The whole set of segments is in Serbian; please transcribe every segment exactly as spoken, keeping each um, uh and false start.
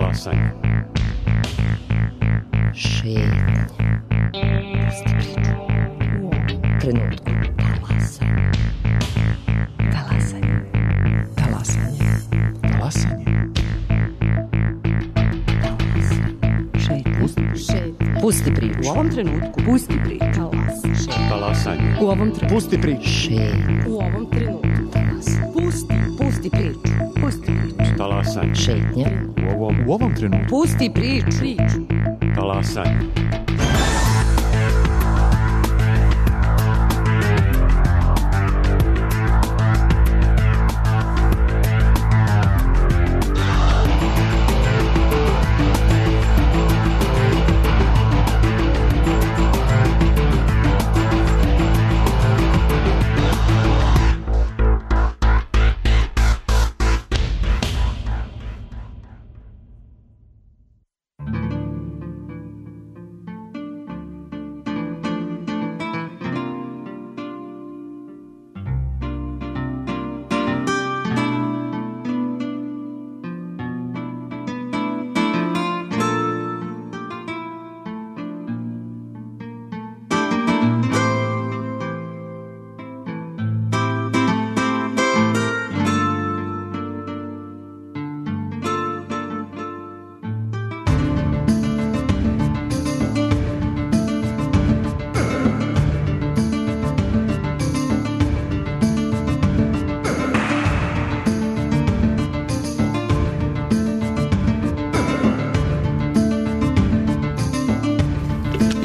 Talasanje. Šetnje. Pusti priču. U ovom trenutku. Talasanje. Talasanje. Talasanje. Talasanje. Šetnje. Pusti priču. U ovom trenutku. Pusti priču. Talasanje. U ovom trenutku. Pusti priču. Šetnje. U ovom trenutku. Pusti. Pusti priču. Pusti priču. Talasanje. Šetnje. U ovom, U ovom trenutku. Pusti priču. Priču. talasanje.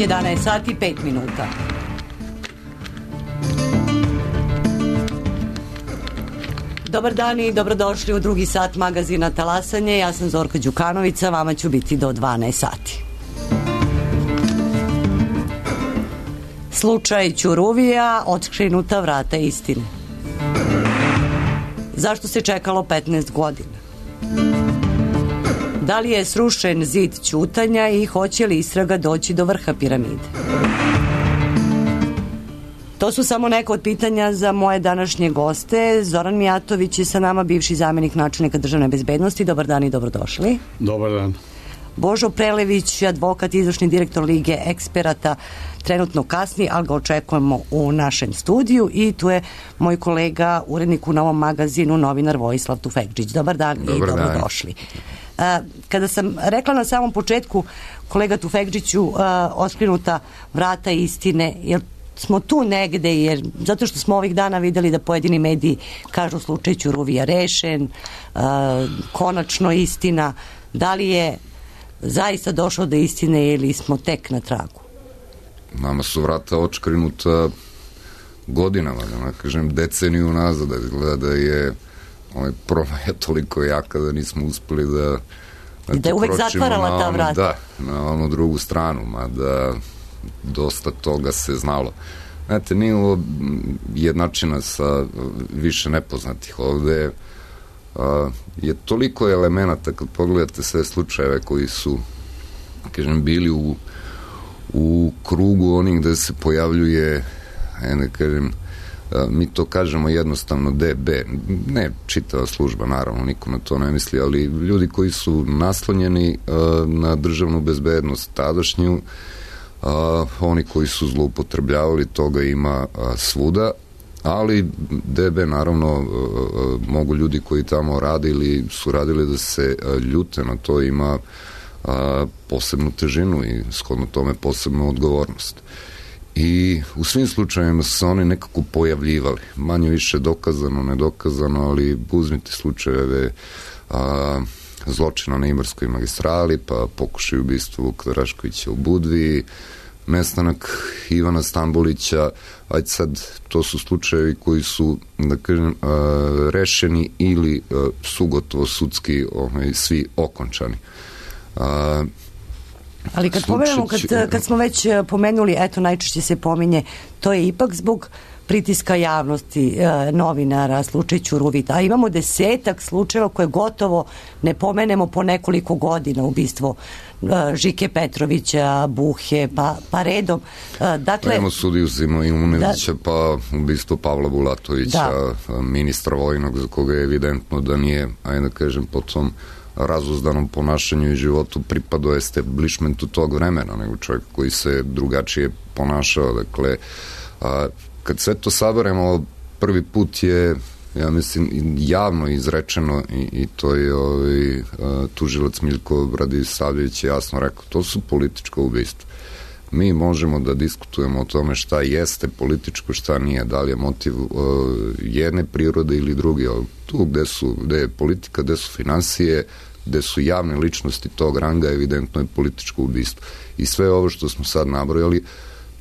jedanaest sati i pet minuta. Dobar dan i dobrodošli u drugi sat magazina Talasanje. Ja sam Zorka Đukanovića, vama ću biti do dvanaest sati. Slučaj Ćuruvija, otkrinuta vrata istine. Zašto se čekalo petnaest godina? Da li je srušen zid ćutanja i hoće li istraga doći do vrha piramide? To su samo neka od pitanja za moje današnje goste. Zoran Mijatović je sa nama, bivši zamjenik načelnika državne bezbednosti. Dobar dan i dobrodošli. Dobar dan. Božo Prelević, advokat, izvršni direktor Lige eksperata, trenutno kasni, ali ga očekujemo u našem studiju. I tu je moj kolega, urednik u Novom magazinu, novinar Vojislav Tufekdžić. Dobar dan i Dobar dobrodošli. Dan. Kada sam rekla na samom početku, kolega Tufekdžiću, otkrinuta vrata istine, jer smo tu negde, jer zato što smo ovih dana videli da pojedini mediji kažu slučaj Ćuruvija rešen, konačno istina. Da li je zaista došlo do istine ili smo tek na tragu? Nama su vrata očkrinuta godinama, da ne kažem deceniju nazad, da izgleda da je ovaj promaja toliko jaka da nismo uspeli da I da je uvek zatvarala ta vrata. Da, na onu drugu stranu, mada dosta toga se znalo. Znate, nije ovo jednačina sa više nepoznatih. Ovde a, je toliko elemenata kad pogledate sve slučajeve koji su, kažem, bili u, u krugu onih gde se pojavljuje, ne kažem, mi to kažemo jednostavno D B, ne čitava služba, naravno, nikome to ne misli, ali ljudi koji su naslonjeni na državnu bezbednost tadašnju, oni koji su zloupotrebljavali, toga ima svuda, ali D B, naravno, mogu ljudi koji tamo rade ili su radili da se ljute na to, ima posebnu težinu i shodno tome posebnu odgovornost. I u svim slučajima su se oni nekako pojavljivali, manje više dokazano, nedokazano, ali uzmite slučajeve a, zločina na Ibarskoj magistrali, pa pokušaj ubistva Vuka Draškovića u Budvi, nestanak Ivana Stambolića, ajde sad, to su slučajevi koji su, da kažem, a, rešeni ili a, su gotovo sudski ovaj, svi okončani. A, Ali kad pomenemo, kad, kad smo već pomenuli, eto, najčešće se pominje, to je ipak zbog pritiska javnosti, e, novinara, slučaj Ćuruvita. A imamo desetak slučajeva koje gotovo ne pomenemo po nekoliko godina, ubistvo e, Žike Petrovića, Buhe, pa, pa redom. E, dakle, pa imamo sudiju Zima Imunevića, da, pa ubistvo Pavla Bulatovića, da, ministra vojnog, za koga je evidentno da nije, ajde da kažem, po tom razuzdanom ponašanju i životu pripadao establishmentu tog vremena, nego čovjek koji se drugačije ponašao. Dakle, a, kad sve to saberemo, prvi put je, ja mislim, javno izrečeno i, i to je ovaj, a, tužilac Miljko Radisavljević jasno rekao, to su politička ubistva. Mi možemo da diskutujemo o tome šta jeste političko, šta nije, da li je motiv uh, jedne prirode ili druge, ali tu gde, su, gde je politika, gde su finansije, gde su javne ličnosti tog ranga, evidentno je političko ubistvo. I sve ovo što smo sad nabrojali,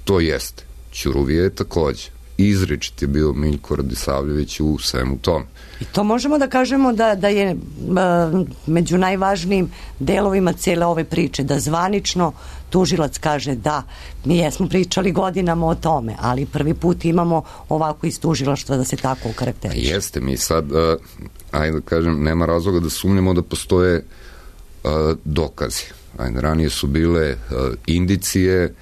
to jeste. Ćuruvija je takođe. Izričit je bio Miljko Radisavljević u svemu tome. I to možemo da kažemo da, da je uh, među najvažnijim delovima cijele ove priče, da zvanično tužilac kaže da, mi jesmo pričali godinama o tome, ali prvi put imamo ovako iz tužilaštva da se tako ukarakteriše. Jeste, mi sad, uh, ajde da kažem, nema razloga da sumnjamo da postoje uh, dokazi. Ajde, ranije su bile uh, indicije,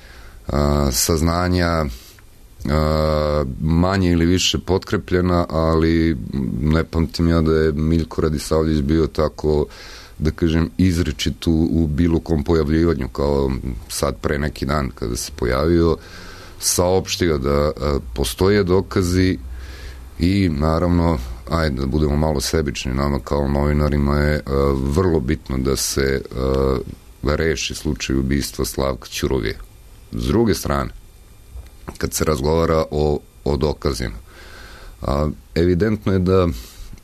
uh, saznanja, Uh, manje ili više potkrepljena, ali ne pamtim ja da je Miljko Radisavljević bio tako, da kažem, izričit u, u bilo kom pojavljivanju, kao sad pre neki dan kada se pojavio, saopštio da uh, postoje dokazi i naravno, ajde da budemo malo sebični, nama kao novinarima je uh, vrlo bitno da se uh, reši slučaj ubistva Slavka Ćuruvije. S druge strane, kad se razgovara o, o dokazima, a, evidentno je da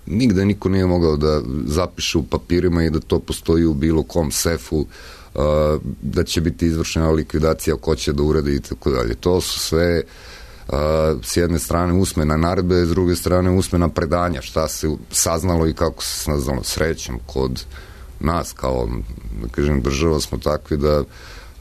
nigde niko nije mogao da zapiše u papirima i da to postoji u bilo kom sefu, a, da će biti izvršena likvidacija, ko će da uradi i tako dalje. To su sve a, s jedne strane usmena naredbe, s druge strane usmena predanja, šta se saznalo i kako se saznalo. Srećom, kod nas kao, da kažem, država smo takvi da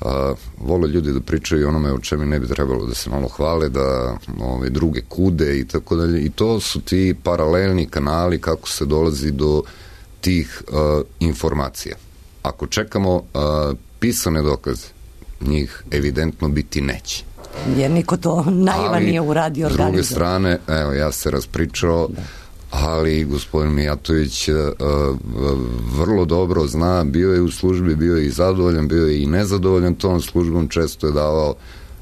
a, vole ljudi da pričaju onome o čemu ne bi trebalo, da se malo hvale, da ove, druge kude i tako dalje. I to su ti paralelni kanali kako se dolazi do tih a, informacija. Ako čekamo a, pisane dokaze, njih evidentno biti neće. Jer niko to naivan nije uradio organizovano. S druge strane, evo, ja se raspričao, da. Ali gospodin Mijatović uh, vrlo dobro zna, bio je u službi, bio je i zadovoljan, bio je i nezadovoljan tom službom, često je davao,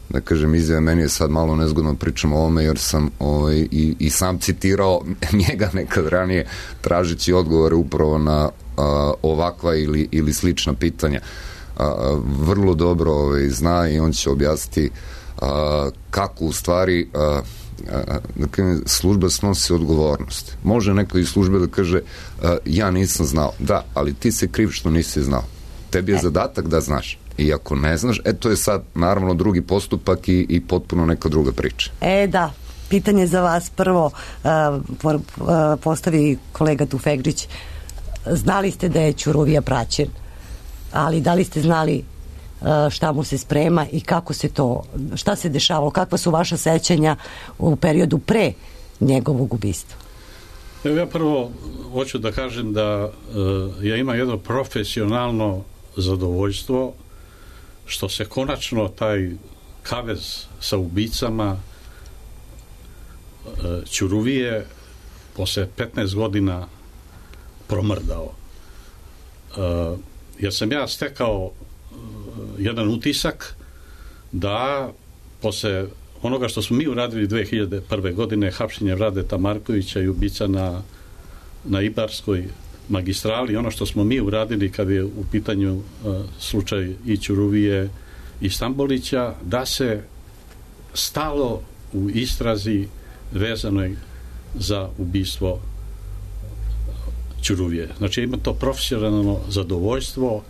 da kažem, izjave, meni je sad malo nezgodno pričam o ovome, jer sam ovaj, i, i sam citirao njega nekad ranije, tražeći odgovore upravo na uh, ovakva ili, ili slična pitanja. Uh, vrlo dobro ovaj, zna i on će objasniti uh, kako u stvari uh, dakle, služba snosi odgovornost. Može neko iz službe da kaže uh, ja nisam znao. Da, ali ti se kriv što nisi znao. Tebi je e. zadatak da znaš. I ako ne znaš, e to je sad naravno drugi postupak i, i potpuno neka druga priča. E da, pitanje za vas prvo uh, postavi kolega Tufegđić. Znali ste da je Ćuruvija praćen, ali da li ste znali šta mu se sprema i kako se to, šta se dešavalo, kakva su vaša sećanja u periodu pre njegovog ubistva? Evo, ja prvo hoću da kažem da uh, ja imam jedno profesionalno zadovoljstvo što se konačno taj kavez sa ubicama uh, Ćuruvije posle petnaest godina promrdao. Uh, jer sam ja stekao jedan utisak da posle onoga što smo mi uradili dve hiljade prve godine, hapšenje Radeta Markovića i ubica na, na Ibarskoj magistrali, ono što smo mi uradili kad je u pitanju uh, slučaj i Ćuruvije i Stambolića, da se stalo u istrazi vezanoj za ubistvo Ćuruvije. Znači ima to profesionalno zadovoljstvo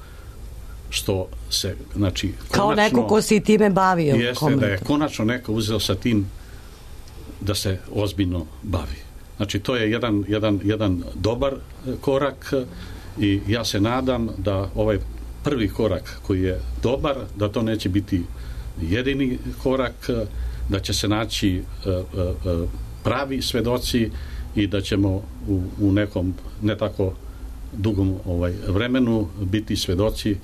što se, znači, konačno, kao neko ko se i time bavio. Jeste da je konačno neko uzeo sa tim da se ozbiljno bavi. Znači, to je jedan, jedan, jedan dobar korak i ja se nadam da ovaj prvi korak koji je dobar, da to neće biti jedini korak, da će se naći uh, uh, pravi svedoci i da ćemo u, u nekom ne tako dugom ovaj, vremenu biti svedoci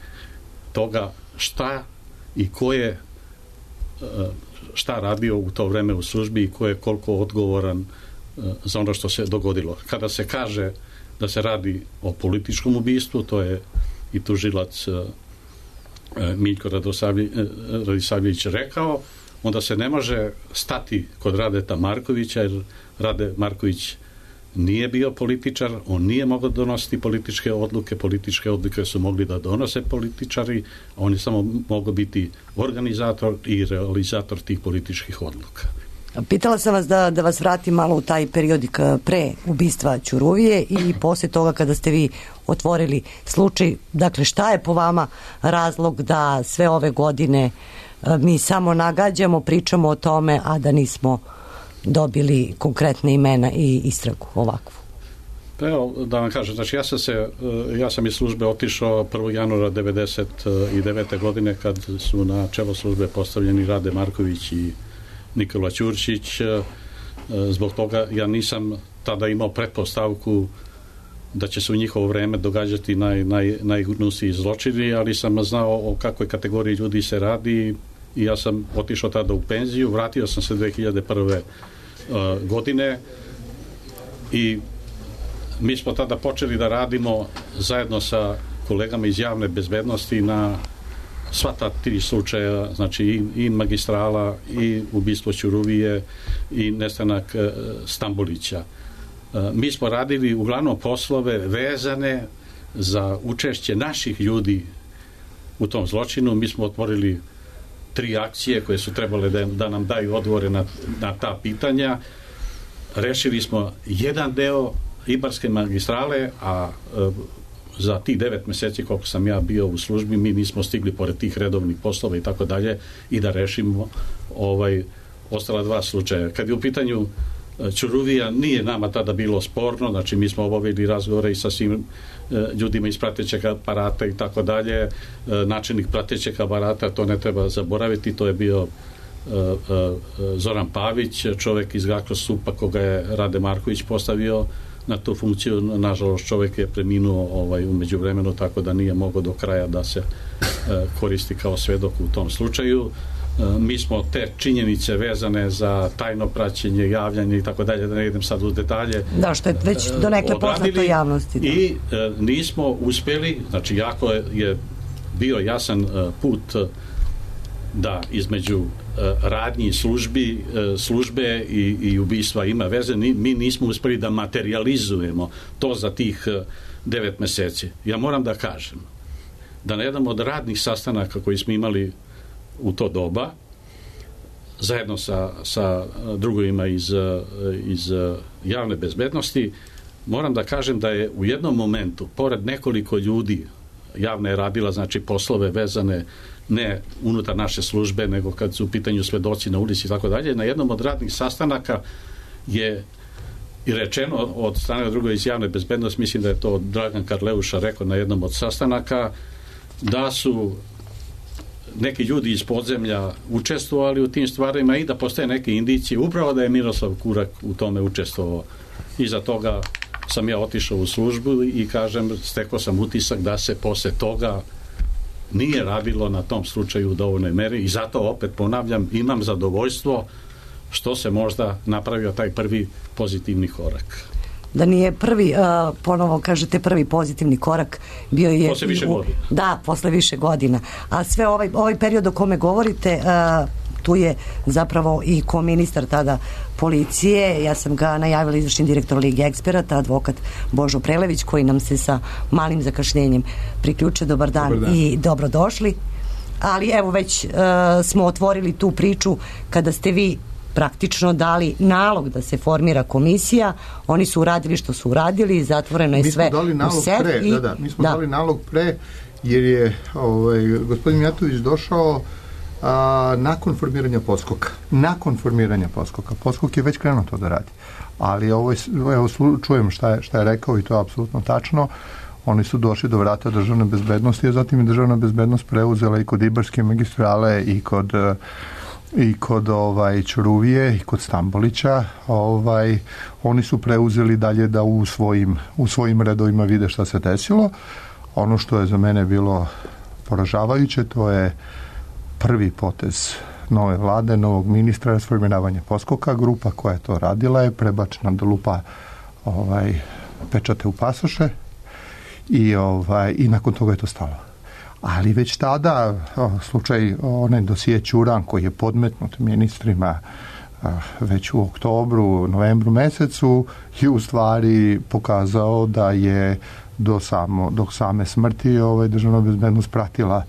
toga šta i ko je šta radio u to vreme u službi i ko je koliko odgovoran za ono što se dogodilo. Kada se kaže da se radi o političkom ubistvu, to je i tužilac Miljko Radisavljević rekao, onda se ne može stati kod Radeta Markovića, jer Rade Marković nije bio političar, on nije mogao donositi političke odluke, političke odluke su mogli da donose političari, a on je samo mogao biti organizator i realizator tih političkih odluka. Pitala sam vas da, da vas vratim malo u taj periodik pre ubistva Ćuruvije i posle toga kada ste vi otvorili slučaj. Dakle, šta je po vama razlog da sve ove godine mi samo nagađamo, pričamo o tome, a da nismo dobili konkretne imena i istragu ovakvu? Pa evo, da vam kažem, znači ja sam se, ja sam iz službe otišao prvog januara devedeset devete godine kad su na čelo službe postavljeni Rade Marković i Nikola Ćurčić. Zbog toga ja nisam tada imao pretpostavku da će se u njihovo vreme događati naj, naj, najgnusniji zločini, ali sam znao o kakvoj kategoriji ljudi se radi i ja sam otišao tada u penziju, vratio sam se dve hiljade prve uh, godine i mi smo tada počeli da radimo zajedno sa kolegama iz javne bezbednosti na sva ta tri slučaja, znači i, i magistrala, i ubistvo Ćuruvije, i nestanak uh, Stambolića. Uh, mi smo radili uglavnom poslove vezane za učešće naših ljudi u tom zločinu. Mi smo otvorili tri akcije koje su trebale da, da nam daju odgovore na, na ta pitanja. Rešili smo jedan deo Ibarske magistrale, a e, za tih devet meseci koliko sam ja bio u službi, mi nismo stigli pored tih redovnih poslova i tako dalje i da rešimo ovaj, ostala dva slučaja. Kad je u pitanju Ćuruvija, nije nama tada bilo sporno, znači mi smo obavili razgovore i sa svim ljudima iz pratećeg aparata i tako dalje. Načelnik pratećeg aparata, to ne treba zaboraviti, to je bio Zoran Pavić, čovek iz Gakrosupa koga je Rade Marković postavio na tu funkciju. Nažalost, čovek je preminuo ovaj, u međuvremenu, tako da nije mogao do kraja da se koristi kao svedok u tom slučaju. Mi smo te činjenice vezane za tajno praćenje, javljanje i tako dalje, da ne idem sad u detalje. Da, što je već donekle poznato javnosti. Da. I e, nismo uspeli, znači jako je, je bio jasan e, put da između e, radnji službi, e, službe i, i ubistva ima veze. Ni, mi nismo uspeli da materializujemo to za tih e, devet meseci. Ja moram da kažem da na jednom od radnih sastanaka koji smo imali u to doba, zajedno sa, sa drugovima iz, iz javne bezbednosti, moram da kažem da je u jednom momentu, pored nekoliko ljudi, javna je radila, znači poslove vezane ne unutar naše službe, nego kad su u pitanju svedoci na ulici i tako dalje, na jednom od radnih sastanaka je i rečeno od strane drugog iz javne bezbednosti, mislim da je to Dragan Karleuša rekao na jednom od sastanaka, da su neki ljudi iz podzemlja učestvovali u tim stvarima i da postoje neke indicije upravo da je Miroslav Kurak u tome učestvovao. Iza toga sam ja otišao u službu i kažem, stekao sam utisak da se posle toga nije radilo na tom slučaju u dovoljnoj meri i zato opet ponavljam, imam zadovoljstvo što se možda napravio taj prvi pozitivni korak. Da nije prvi, uh, ponovo kažete prvi pozitivni korak, bio je... Posle više u, godina. Da, posle više godina. A sve ovaj, ovaj period o kome govorite, uh, tu je zapravo i ko ministar tada policije, ja sam ga najavila izvršni direktor Lige eksperata, advokat Božo Prelević, koji nam se sa malim zakašnjenjem priključio. Dobar dan, Dobar dan. I dobrodošli. Ali evo već uh, smo otvorili tu priču kada ste vi praktično dali nalog da se formira komisija, oni su uradili što su uradili, zatvoreno je sve u sef. Pre, i, da, da, mi smo da. dali nalog pre, jer je ovaj, gospodin Mijatović došao a, nakon formiranja Poskoka. Nakon formiranja Poskoka. Poskok je već krenuo to da radi. Ali ovo je, evo, čujem šta je, šta je rekao i to je apsolutno tačno. Oni su došli do vrata državne bezbednosti, a zatim je državna bezbednost preuzela i kod Ibarske magistrale i kod i kod ovaj Ćuruvije i kod Stambolića, ovaj oni su preuzeli dalje da u svojim u svojim redovima vide šta se desilo. Ono što je za mene bilo poražavajuće, to je prvi potez nove vlade, novog ministra, rasformiravanje Poskoka. Grupa koja je to radila je prebačena do lupa ovaj pečate u pasoše i, ovaj, i nakon toga je to stalo. Ali već tada o, slučaj onaj dosije Ćuran koji je podmetnut ministrima a, već u oktobru, novembru mesecu je u stvari pokazao da je do, samo, do same smrti ovaj, državna bezbednost pratila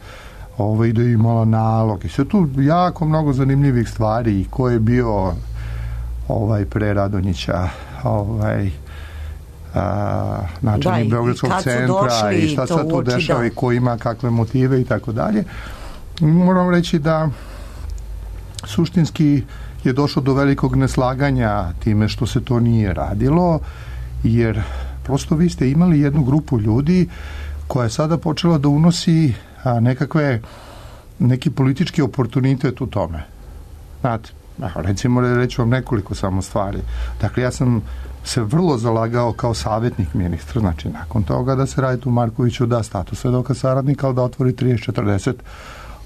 ovaj, da je imala nalog. I sve tu jako mnogo zanimljivih stvari i ko je bio ovaj, pre Radonjića ovaj, a, načelnik da, Beogradskog centra i šta se tu dešava da. I ko ima kakve motive i tako dalje. Moram reći da suštinski je došlo do velikog neslaganja time što se to nije radilo, jer prosto vi ste imali jednu grupu ljudi koja je sada počela da unosi a, nekakve neki politički oportunitet u tome. Znate, recimo reći vam nekoliko samo stvari. Dakle, ja sam se vrlo zalagao kao savjetnik ministra, znači nakon toga da se Raditu Markoviću da status svedoka saradnika, ali da otvori trideset četrdeset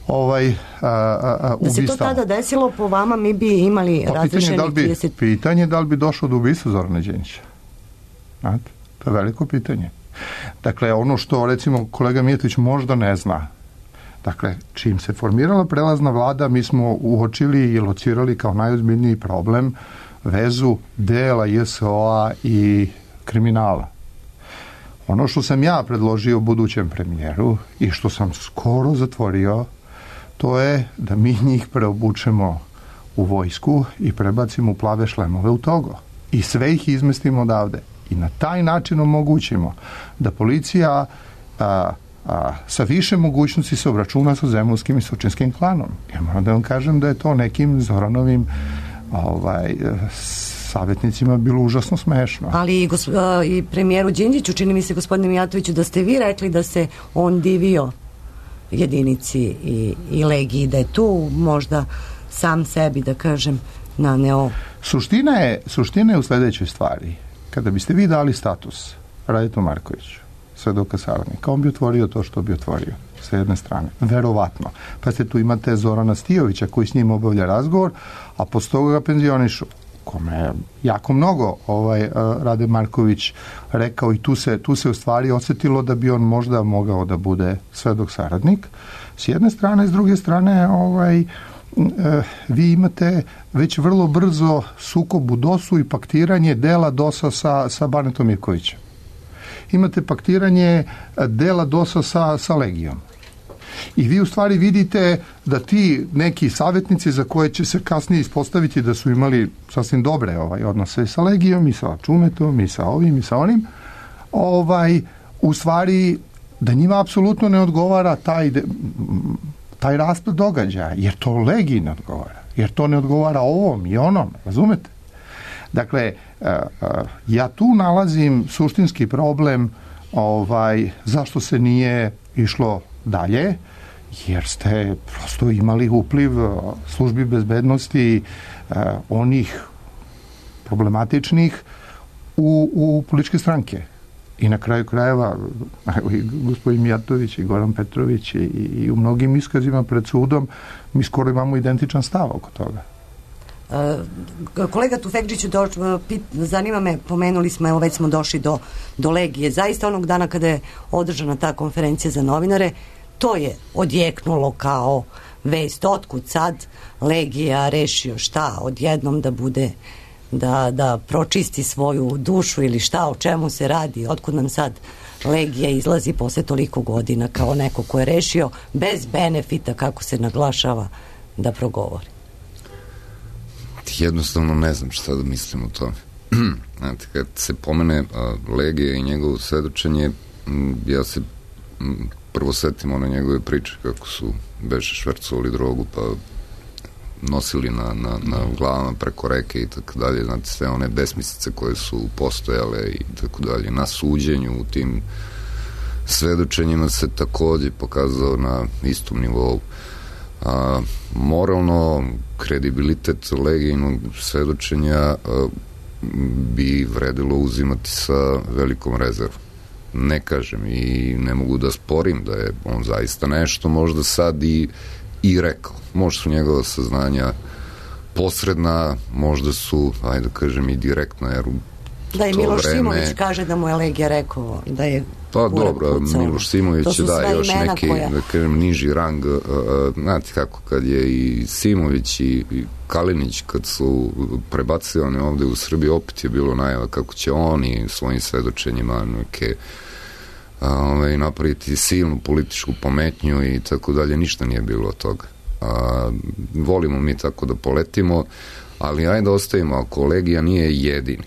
ovaj, a, a, a, da se to tada desilo, po vama mi bi imali pa, razrešeni da trideset... Pitanje da li bi došlo do ubistva Zorana Đinđića. Znate, to je veliko pitanje. Dakle, ono što recimo kolega Mijatović možda ne zna, dakle, čim se formirala prelazna vlada, mi smo uočili i locirali kao najozbiljniji problem vezu dela J S O-a i kriminala. Ono što sam ja predložio budućem premijeru i što sam skoro zatvorio, to je da mi njih preobučemo u vojsku i prebacimo u plave šlemove u Togo. I sve ih izmestimo odavde. I na taj način omogućimo da policija a, a, sa više mogućnosti se obračuna sa zemunskim i sočinskim klanom. Ja moram da vam kažem da je to nekim Zoranovim ovaj, savjetnicima bilo užasno smešno. Ali i, gosp, i premijeru Đinđiću, čini mi se, gospodine Mijatoviću, da ste vi rekli da se on divio jedinici i, i legiji, da je tu možda sam sebi, da kažem, naneo. Suština je, suština je u sledećoj stvari. Kada biste vi dali status Raditu Markoviću, svedoka saradnika, on bi otvorio to što bi otvorio sa jedne strane, verovatno. Pa ste tu imate Zorana Stijovića koji s njim obavlja razgovor, a posle toga ga penzionišu, kome je jako mnogo ovaj, Rade Marković rekao i tu se, tu se u stvari osetilo da bi on možda mogao da bude svedok saradnik. S jedne strane, s druge strane, ovaj, vi imate već vrlo brzo sukob u dosu i paktiranje dela dosa sa, sa Banetom Ivkovićem. Imate paktiranje dela dosa sa, sa Legijom. I vi u stvari vidite da ti neki savjetnici za koje će se kasnije ispostaviti da su imali sasvim dobre ovaj, odnose sa Legijom i sa Čumetom i sa ovim i sa onim, ovaj, u stvari da njima apsolutno ne odgovara taj, taj raspad događaja, jer to Legiji ne odgovara, jer to ne odgovara ovom i onom, razumete? Dakle, ja tu nalazim suštinski problem ovaj, zašto se nije išlo dalje, jer ste prosto imali upliv službi bezbednosti eh, onih problematičnih u, u političke stranke. I na kraju krajeva i gospodin Mijatović i Goran Petrović i, i u mnogim iskazima pred sudom mi skoro imamo identičan stav oko toga. Uh, kolega Tufekđiću, do, pit, zanima me, pomenuli smo, evo već smo došli do, do Legije. Zaista onog dana kada je održana ta konferencija za novinare, to je odjeknulo kao vest. Otkud sad Legija rešio šta odjednom da bude, da, da pročisti svoju dušu ili šta, o čemu se radi, otkud nam sad Legija izlazi posle toliko godina kao neko ko je rešio bez benefita, kako se naglašava, da progovori. Jednostavno ne znam šta da mislim o tome. Znate, kad se pomene uh, Legija i njegovo svedočenje, m, ja se m, prvo setim one njegove priče kako su beše švercovali drogu pa nosili na, na, na glavama preko reke i tako dalje, znate, sve one besmislice koje su postojale i tako dalje. Na suđenju u tim svedočenjima se takođe pokazao na istom nivou. A, moralno kredibilitet Legijinog svedočenja a, bi vredilo uzimati sa velikom rezervom. Ne kažem i ne mogu da sporim da je on zaista nešto možda sad i, i rekao. Možda su njegova saznanja posredna, možda su, ajde da kažem, i direktna, jer u Da, i to Miloš vreme... Simović kaže da mu je Legija rekao da je Pa Kura dobro, pucao. Miloš Simović da još neki koja... da kažem, niži rang, uh, znate kako, kad je i Simović i, i Kalinić kad su prebacivani ovde u Srbiji, opet je bilo najava kako će oni svojim svedočenjima neke uh, napraviti silnu političku pometnju i tako dalje, ništa nije bilo od toga. Uh, volimo mi tako da poletimo, ali ajde ostavimo, ako Legija nije jedini.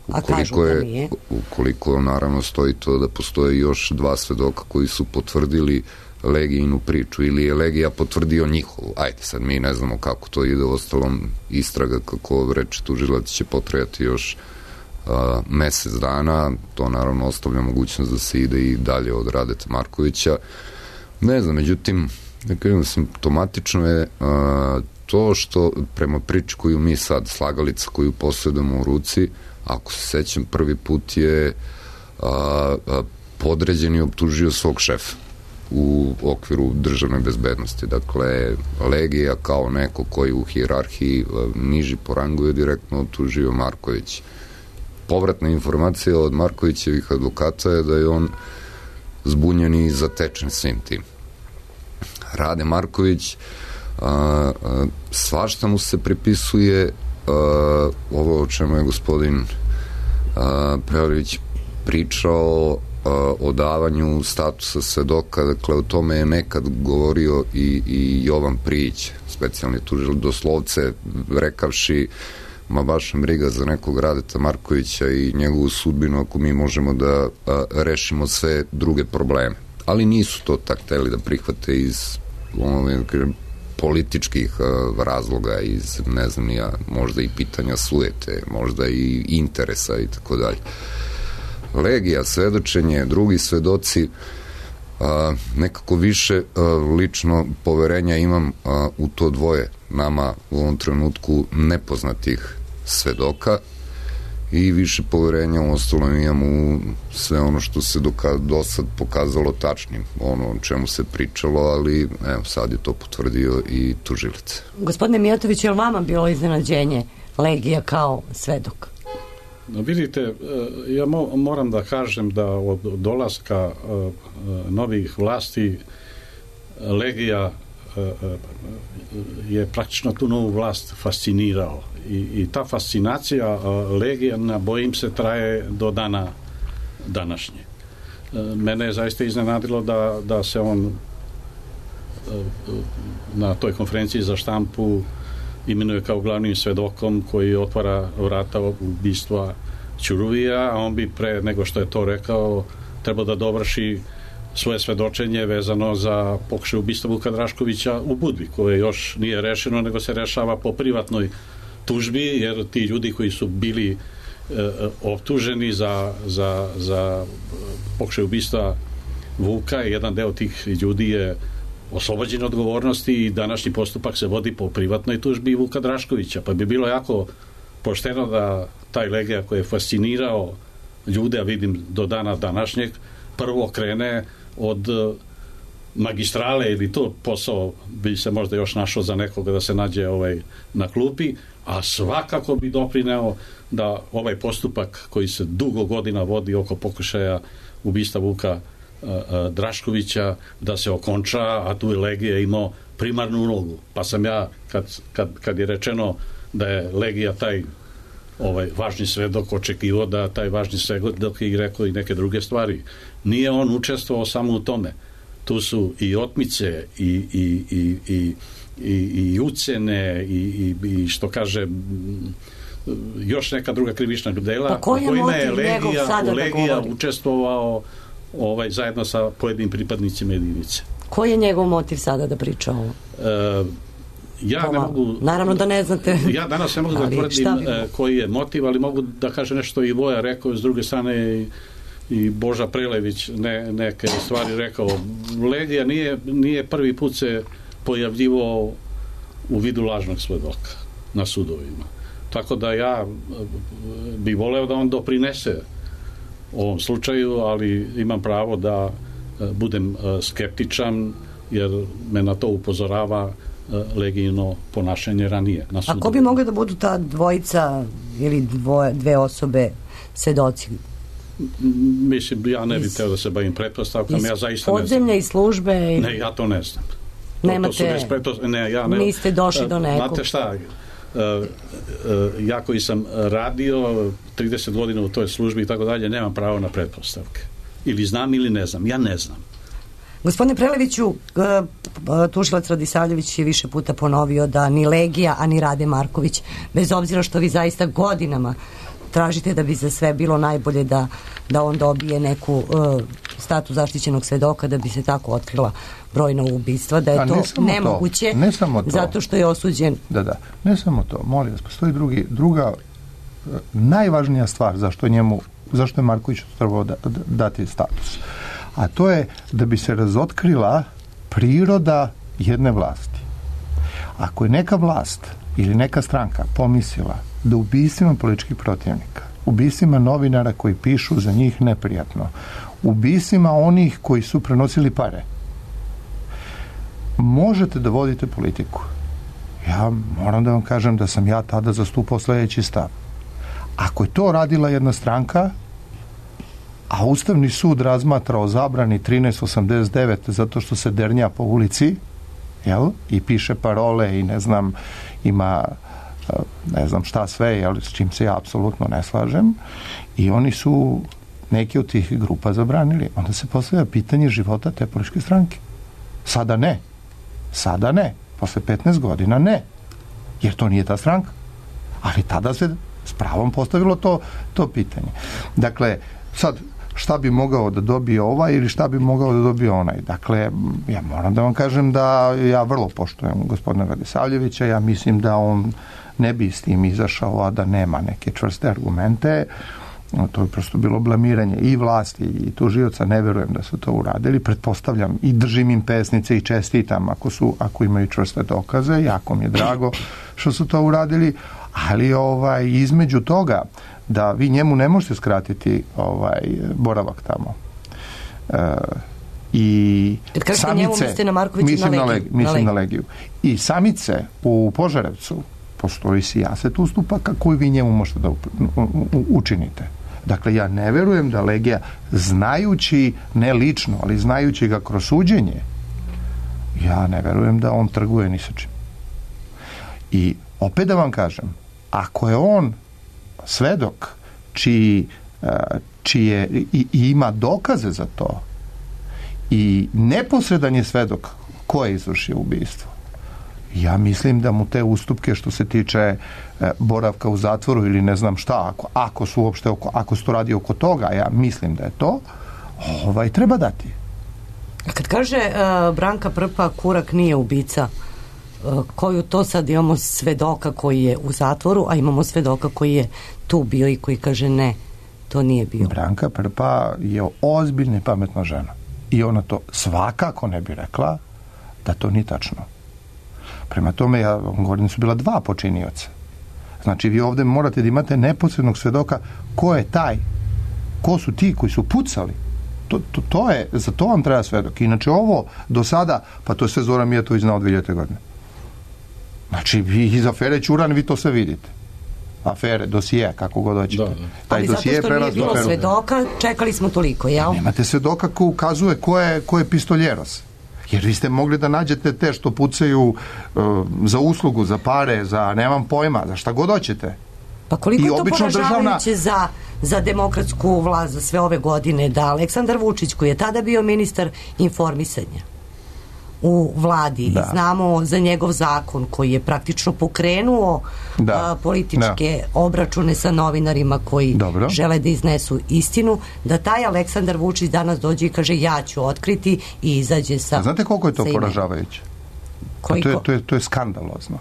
Ukoliko je, ukoliko naravno stoji to da postoje još dva svedoka koji su potvrdili Legijinu priču ili je Legija potvrdio njihovu. Ajde, sad mi ne znamo kako to ide, u ostalom istraga, kako reče tužilac, će potrajati još a, mesec dana, to naravno ostavlja mogućnost da se ide i dalje od Radeta Markovića. Ne znam, međutim, da kažem, simptomatično je a, to što prema priči koju mi sad, slagalica koju posjedamo u ruci, ako se sećam, prvi put je a, a, podređeni optužio svog šefa u okviru državne bezbednosti. Dakle, Legija kao neko koji u hijerarhiji a, niži po rangu je direktno optužio Marković. Povratna informacija od Markovićevih advokata je da je on zbunjen i zatečen svim tim. Rade Marković, a, a, svašta mu se pripisuje. Uh, ovo o čemu je gospodin uh, Preorić pričao, uh, o davanju statusa svedoka, dakle o tome je nekad govorio i, i Jovan Prijić, specijalni tužilac, doslovce rekavši ma baš nam briga za nekog Radeta Markovića i njegovu sudbinu ako mi možemo da uh, rešimo sve druge probleme. Ali nisu to tak hteli da prihvate iz ono, političkih uh, razloga, iz, ne znam ja, možda i pitanja sujete, možda i interesa i tako dalje. Legija, svedočenje, drugi svedoci, uh, nekako više uh, lično poverenja imam uh, u to dvoje nama u ovom trenutku nepoznatih svedoka i više poverenja u ostalom imam u sve ono što se do sad pokazalo tačnim, ono o čemu se pričalo, ali evo, sad je to potvrdio i tužilac. Gospodine Mijatović, je li vama bilo iznenađenje Legija kao svedok? No, vidite, ja mo- moram da kažem da od dolaska uh, novih vlasti Legija uh, je praktično tu novu vlast fascinirao. I, i ta fascinacija uh, Legijana, bojim se, traje do dana današnje. Uh, mene je zaista iznenadilo da, da se on uh, na toj konferenciji za štampu imenuje kao glavnim svedokom koji otvara vrata ubistva Ćuruvija, a on bi pre nego što je to rekao trebao da dovrši svoje svedočenje vezano za pokušaj ubistva Vuka Draškovića u Budvi, koje još nije rešeno, nego se rešava po privatnoj tužbi, jer ti ljudi koji su bili e, optuženi za, za, za pokušaj ubistva Vuka, jedan deo tih ljudi je oslobođen odgovornosti i današnji postupak se vodi po privatnoj tužbi Vuka Draškovića, pa bi bilo jako pošteno da taj Legija koji je fascinirao ljude, a vidim do dana današnjeg, prvo krene od magistrale, ili to posao bi se možda još našao za nekoga da se nađe ovaj na klupi, a svakako bi doprineo da ovaj postupak koji se dugo godina vodi oko pokušaja ubistva Vuka Draškovića da se okonča, a tu je Legija imao primarnu ulogu. Pa sam ja, kad, kad, kad je rečeno da je Legija taj ovaj važni svedok, očekivao da taj važni svedok i rekao i neke druge stvari. Nije on učestvovao samo u tome. Tu su i otmice i, i, i, i, i, i ucene i, i, i što kaže još neka druga krivična dela pa koji je kojima je Legija, Legija učestvovao ovaj, zajedno sa pojedinim pripadnicima jedinice. Koji je njegov motiv sada da priča ovo? E, ja Toma, ne mogu... Naravno da ne znate. Ja danas ne mogu da tvrdim e, koji je motiv, ali mogu da kažem nešto i Voja rekao, s druge strane i, i Boža Prelević ne, neke stvari rekao. Legija nije, nije prvi put se pojavljivao u vidu lažnog svedoka na sudovima. Tako da ja bih voleo da on doprinese ovom slučaju, ali imam pravo da budem skeptičan, jer me na to upozorava legijno ponašanje ranije na sudu. A ko bi mogli da budu ta dvojica ili dvoje, dve osobe svedoci? Mislim, ja ne bih teo da se bavim pretpostavkama, ja zaista ne znam. Podzemlja i službe? I... Ne, ja to ne znam. Nemate, to, to su pretpos... ne, ja ne... niste došli do nekog. Znate šta, ja koji sam radio trideset godina u toj službi i tako dalje, nemam pravo na pretpostavke. Ili znam ili ne znam. Ja ne znam. Gospodine Preleviću, tužilac Radisavljević je više puta ponovio da ni Legija, a ni Rade Marković, bez obzira što vi zaista godinama tražite da bi za sve bilo najbolje da, da on dobije neku uh, status zaštićenog svedoka, da bi se tako otkrila brojna ubistva, da je a to nemoguće, to, ne samo to. Zato što je osuđen. Da, da, ne samo to, molim vas, postoji drugi, druga najvažnija stvar zašto njemu, zašto je Marković trebao da, da, dati status. A to je da bi se razotkrila priroda jedne vlasti. Ako je neka vlast ili neka stranka pomislila da ubistvima političkih protivnika, ubistvima novinara koji pišu za njih neprijatno, ubistvima onih koji su prenosili pare, možete da vodite politiku. Ja moram da vam kažem da sam ja tada zastupao sledeći stav. Ako je to radila jedna stranka, a Ustavni sud razmatra o zabrani trinaest osamdeset devet zato što se dernja po ulici, jel? I piše parole i ne znam, ima ne znam šta sve, jel? S čim se ja apsolutno ne slažem, i oni su neke od tih grupa zabranili. Onda se postavlja pitanje života te političke stranke. Sada ne. Sada ne. Posle petnaest godina ne. Jer to nije ta stranka. Ali tada se s pravom postavilo to, to pitanje. Dakle, sad, šta bi mogao da dobije ovaj ili šta bi mogao da dobije onaj. Dakle, ja moram da vam kažem da ja vrlo poštujem gospodina Radisavljevića, ja mislim da on ne bi s tim izašao, a da nema neke čvrste argumente. To je prosto bilo blamiranje i vlasti i tužioca, ne verujem da su to uradili, pretpostavljam i držim im pesnice i čestitam ako, su, ako imaju čvrste dokaze, jako mi je drago što su to uradili, ali ovaj, između toga da vi njemu ne možete skratiti ovaj, boravak tamo. E, i samice, njemu, na mislim, na, na, legiju, mislim na, na legiju. I samice u Požarevcu postoji sijaset ustupaka koji vi njemu možete da učinite. Dakle, ja ne verujem da Legija, znajući, ne lično, ali znajući ga kroz suđenje, ja ne verujem da on trguje ni sa čim. I opet da vam kažem, ako je on svedok čiji, čije i, i ima dokaze za to i neposredan je svedok ko je izvršio ubistvo, ja mislim da mu te ustupke što se tiče e, boravka u zatvoru ili ne znam šta, ako, ako su uopšte oko, ako se to radi oko toga, ja mislim da je to, ovaj, treba dati. A kad kaže uh, Branka Prpa Kurak nije ubica, uh, koju to sad imamo svedoka koji je u zatvoru, a imamo svedoka koji je tu bio i koji kaže ne, to nije bio. Branka Prpa je ozbiljna i pametna žena. I ona to svakako ne bi rekla da to nije tačno. Prema tome, ja vam govorim, su bila dva počinioca. Znači, vi ovde morate da imate neposrednog svedoka ko je taj, ko su ti koji su pucali. To, to, to je, za to vam treba svedok. Inače, ovo do sada, pa to je sve Zoran Mijatović znao dve hiljadite godine. Znači, vi iz afere Ćuran, vi to sve vidite. Afere, dosije, kako god hoćete. Da, da. Taj ali dosije zato što nije bilo aferu. Svedoka, čekali smo toliko, jel? Nemate svedoka ko ukazuje ko je, ko je pistoljeros. Jer vi ste mogli da nađete te što pucaju uh, za uslugu, za pare, za nemam pojma, za šta god hoćete. Pa koliko I je to poražavajuće državna... za, za demokratsku vlast za sve ove godine, da Aleksandar Vučić, koji je tada bio ministar informisanja u vladi, da. Znamo za njegov zakon koji je praktično pokrenuo da. a, političke da. obračune sa novinarima koji Dobro. žele da iznesu istinu, da taj Aleksandar Vučić danas dođe i kaže ja ću otkriti i izađe sa... A znate koliko je to poražavajuće? To je, to, je, to je skandalozno.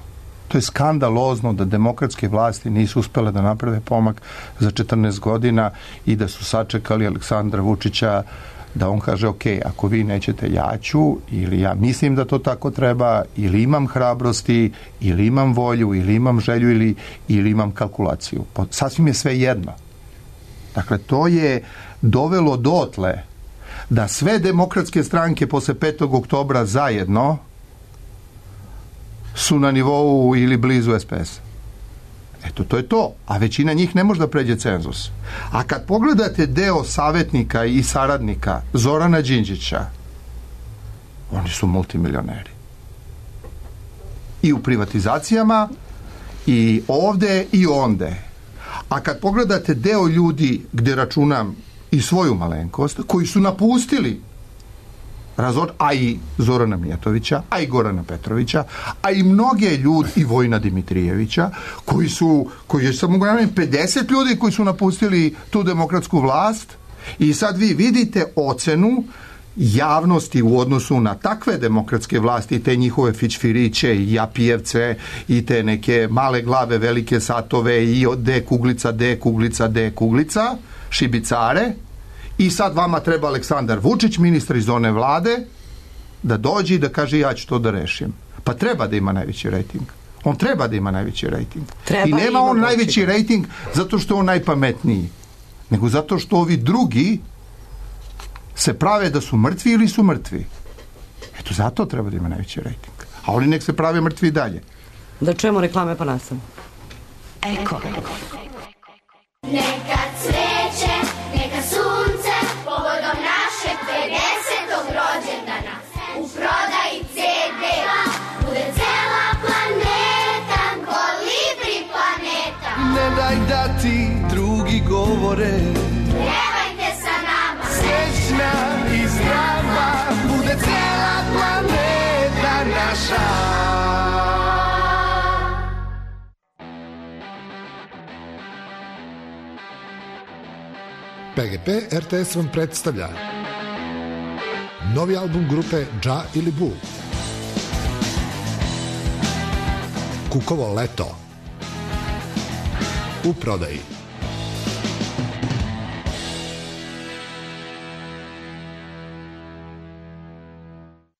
To je skandalozno da demokratske vlasti nisu uspele da naprave pomak za četrnaest godina i da su sačekali Aleksandra Vučića da on kaže, ok, ako vi nećete, ja ću, ili ja mislim da to tako treba, ili imam hrabrosti, ili imam volju, ili imam želju, ili, ili imam kalkulaciju. Sasvim je sve jedno. Dakle, to je dovelo dotle da sve demokratske stranke posle petog oktobra zajedno su na nivou ili blizu es pe es. Eto, to je to. A većina njih ne može da pređe cenzus. A kad pogledate deo savjetnika i saradnika Zorana Đinđića, oni su multimilioneri. I u privatizacijama, i ovde, i onde. A kad pogledate deo ljudi, gde računam i svoju malenkost, koji su napustili Razor, a i Zorana Mijatovića, a i Gorana Petrovića, a i mnoge ljudi, i Vojina Dimitrijevića, koji su, koji je samo pedeset ljudi koji su napustili tu demokratsku vlast, i sad vi vidite ocenu javnosti u odnosu na takve demokratske vlasti i te njihove fićfiriće i japijevce i te neke male glave, velike satove i D kuglica, D kuglica, D kuglica, šibicare. I sad vama treba Aleksandar Vučić, ministar iz one vlade, da dođe i da kaže ja ću to da rešim. Pa treba da ima najveći rejting. On treba da ima najveći rejting. Treba I nema on najveći rejting zato što je on najpametniji, nego zato što ovi drugi se prave da su mrtvi ili su mrtvi. Eto, zato treba da ima najveći rejting. A oni nek se prave mrtvi i dalje. Da čujemo reklame pa nastavimo. Eko. Neka cveće, neka sunce, povodom našeg pedesetog rođendana. U prodaji ce de bude cela planeta, kolibri planeta. Ne daj da ti drugi govore, pjevajte sa nama. Srećna i zdrava bude cela planeta naša. pe ge pe er te es vam predstavlja novi album grupe Dža ili Bu, Kukovo leto, u prodaji.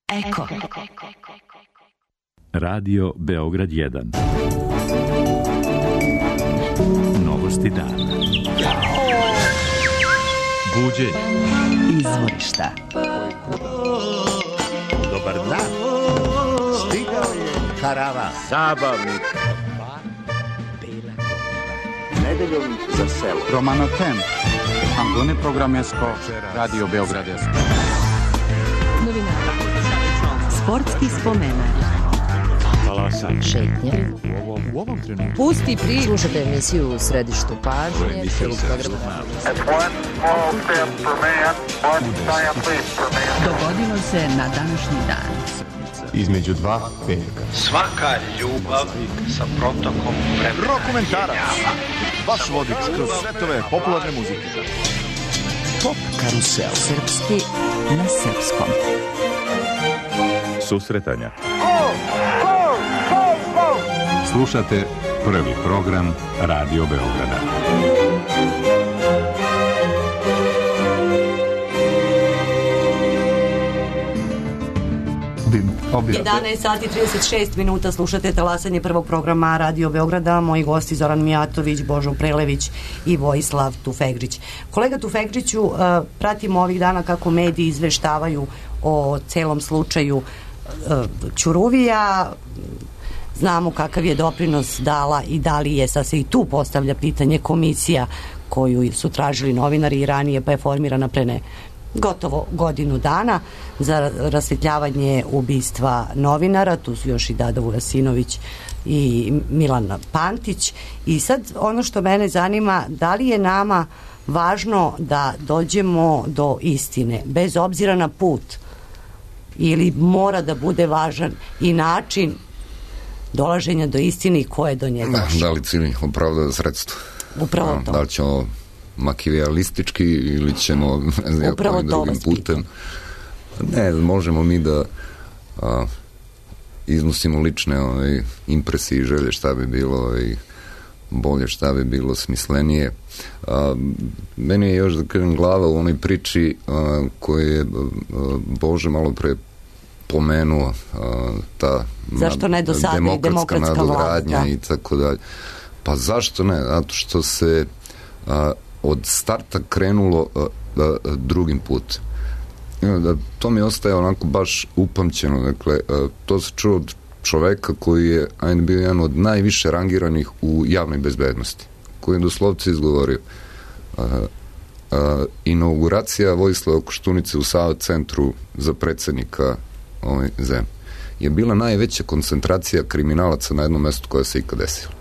Eko. Radio Beograd jedan. Novosti dana. Buđenje. Izvorišta. Dobar dan. Stigao je karavan. Zabavnik. Nedeljom za selo. Romano Tem. Angone Programesko. Radio Beograd. Novinara. Sportski spomenak. Talasanje. Šetnje. U ovom trenutku. Pusti priču. Slušajte emisiju u središtu pažnje. Prvog programa. Dogodilo se na današnji dan. Između dva petka. Svaka ljubav sa protokom vremena. Rokomentarac. Vaš vodič kroz svetove popularne muzike. Pop karusel. Srpski na srpskom. Susretanja. Slušate prvi program Radio Beograda. jedanaest sati trideset šest minuta, slušate talasanje prvog programa Radio Beograda. Moji gosti Zoran Mijatović, Božo Prelević i Vojislav Tufegđić. Kolega Tufegđiću, pratimo ovih dana kako mediji izveštavaju o celom slučaju Ćuruvija. Znamo kakav je doprinos dala i da li je, sad se i tu postavlja pitanje, komisija koju su tražili novinari i ranije, pa je formirana pre ne gotovo godinu dana za rasvetljavanje ubistva novinara. Tu su još i Dada Vujasinović i Milan Pantić. I sad ono što mene zanima, da li je nama važno da dođemo do istine bez obzira na put, ili mora da bude važan i način dolaženja do istine i ko je do njega došao? Da li cilj opravdava sredstvo? Upravo to. Da li ćemo makijalistički ili ćemo upravo to vas putem. Ne, možemo mi da a, iznosimo lične ove, impresije i želje šta bi bilo i bolje, šta bi bilo smislenije. A, meni je još da kažem glava u onoj priči a, koje je a, Bože malo pre pomenuo, a, ta zašto ne do sada demokratska, demokratska nadogradnja vlast, i tako dalje. Pa zašto ne? Zato što se a, od starta krenulo a, a, drugim putem. Da, to mi ostaje onako baš upamćeno. Dakle, a, to se čuo od čoveka koji je ajde bio jedan od najviše rangiranih u javnoj bezbednosti, koji je doslovce izgovorio uh, uh, inauguracija Vojislava Koštunice u Sava centru za predsednika ove zemlje je bila najveća koncentracija kriminalaca na jednom mestu koja se ikad desila.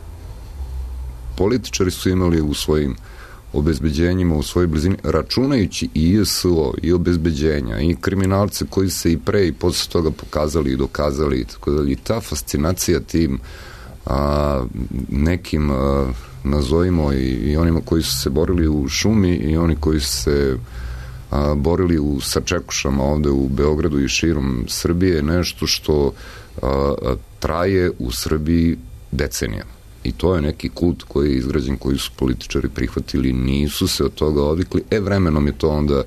Političari su imali u svojim obezbeđenjima, u svojoj blizini, računajući i I S O, i obezbeđenja, i kriminalce koji se i pre i posle toga pokazali i dokazali, tako da i ta fascinacija tim a, nekim a, nazovimo i, i onima koji su se borili u šumi i oni koji su se a, borili u sačekušama ovde u Beogradu i širom Srbije, nešto što a, a, traje u Srbiji decenijama. I to je neki kult koji je izgrađen, koji su političari prihvatili, nisu se od toga odvikli. E, vremenom je to onda